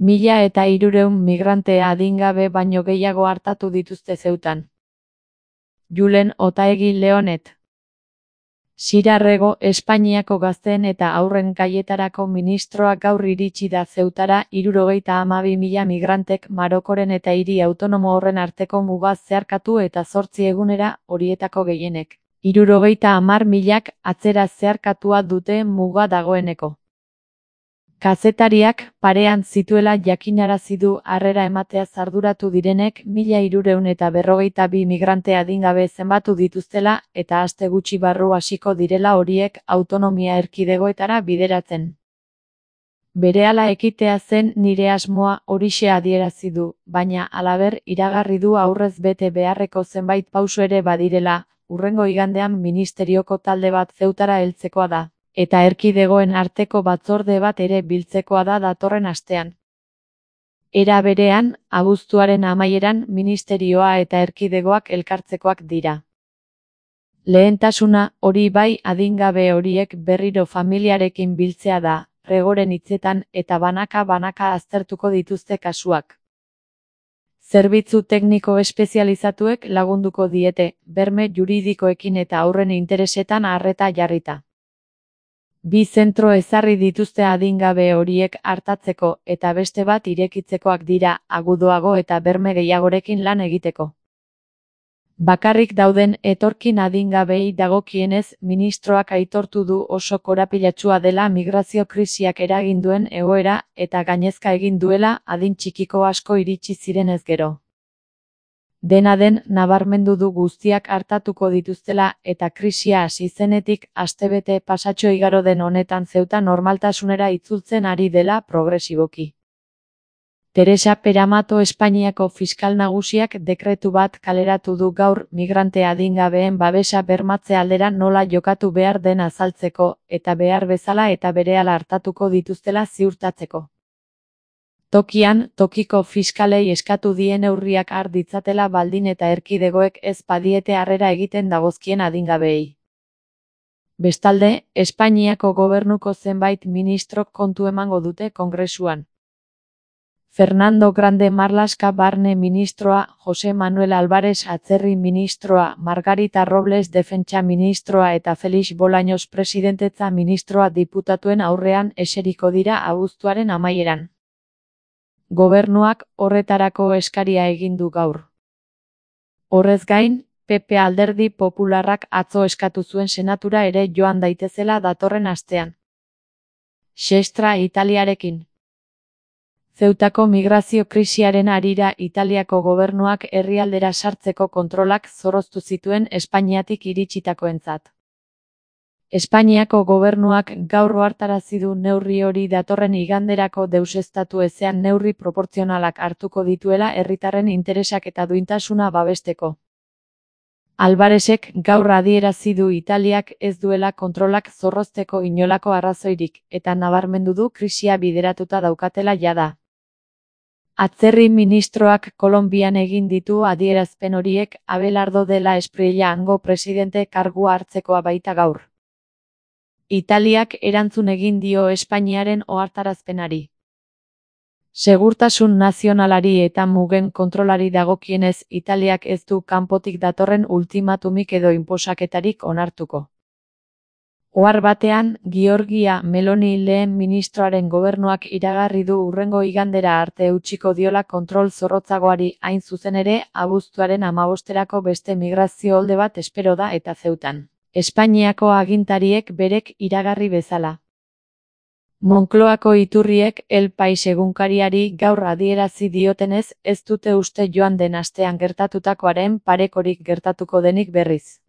1.300 migrante adingabe baino gehiago artatu dituzte Zeutan. Julen Otaegi Leonet. Sirarrego, Espainiako gazteen eta haurren gaietarako ministroa gaur iritsi da Zeutara 72.000 migrantek Marokoren eta hiri autonomo horren arteko muga zeharkatu eta 8 egunera, horietako gehienek. 70.000 atzera zeharkatua dute muga dagoeneko. Kazetariak parean zituela jakinarazi du harrera emateaz arduratu direnek 1.342 migrante adingabe zenbatu dituztela eta aste gutxi barru hasiko direla horiek autonomia erkidegoetara bideratzen. Berehala ekitea zen nire asmoa, horixe adierazi du, baina halaber iragarri du aurrez bete beharreko zenbait pauso ere badirela, hurrengo igandean ministerioko talde bat Zeutara heltzekoa da. Eta erkidegoen arteko batzorde bat ere biltzekoa da datorren astean. Era berean, abuztuaren amaieran ministerioa eta erkidegoak elkartzekoak dira. Lehentasuna, hori bai, adingabe horiek berriro familiarekin biltzea da, Regoren hitzetan, eta banaka-banaka aztertuko dituzte kasuak. Zerbitzu tekniko espezializatuek lagunduko diete, berme juridikoekin eta haurren interesetan arreta jarrita. 2 zentro ezarri dituzte adingabe horiek artatzeko eta beste bat irekitzekoak dira, agudoago eta berme gehiagorekin lan egiteko. Bakarrik dauden etorkin adingabei dagokienez, ministroak aitortu du oso korapilatsua dela migrazio krisiak eragin duen egoera eta gainezka egin duela adin txikiko asko iritsi zirenez gero. Dena den, nabarmendu du guztiak artatuko dituztela eta krisia hasi zenetik astebete pasatxo igaro den honetan Zeuta normaltasunera itzultzen ari dela progresiboki. Teresa Peramato Espainiako fiskal nagusiak dekretu bat kaleratu du gaur migrante adingabeen babesa bermatze aldera nola jokatu behar den azaltzeko eta behar bezala eta berehala hartatuko dituztela ziurtatzeko. Tokian, tokiko fiskalei eskatu die neurriak har ditzatela baldin eta erkidegoek ez badiete harrera egiten dagozkien adingabeei. Bestalde, Espainiako gobernuko zenbait ministrok kontu emango dute Kongresuan. Fernando Grande Marlaska barne ministroa, Jose Manuel Álvarez atzerri ministroa, Margarita Robles defentsa ministroa eta Felix Bolaños presidentetza ministroa diputatuen aurrean eseriko dira abuztuaren amaieran. Gobernuak horretarako eskaria egin du gaur. Horrez gain, PP Alderdi Popularrak atzo eskatu zuen senatura ere joan daitezela datorren astean. Xestra Italiarekin. Zeutako migrazio krisiaren harira Italiako gobernuak herrialdera sartzeko kontrolak zorroztu zituen Espainiatik iritsitakoentzat. Espainiako gobernuak gaur ohartarazi du neurri hori datorren iganderako deuseztatu ezean neurri proportzionalak hartuko dituela herritarren interesak eta duintasuna babesteko. Alvarezek gaur adierazi du Italiak ez duela kontrolak zorrozteko inolako arrazoirik, eta nabarmendu du krisia bideratuta daukatela jada. Atzerri ministroak Kolonbian egin ditu adierazpen horiek Abelardo de la Espriella hango presidente kargua hartzekoa baita gaur. Italiak erantzun egin dio Espainiaren ohartarazpenari. Segurtasun nazionalari eta mugen kontrolari dagokienez Italiak ez du kanpotik datorren ultimatumik edo inposaketarik onartuko. Ohar batean, Giorgia Meloni lehen ministroaren gobernuak iragarri du hurrengo igandera arte utziko diola kontrol zorrotzagoari, hain zuzen ere, abuztuaren 15erako beste migrazio olde bat espero da eta Zeutan. Espainiako agintariek berek iragarri bezala. Moncloako iturriek El País egunkariari gaur adierazi diotenez ez dute uste joan den astean gertatutakoaren parekorik gertatuko denik berriz.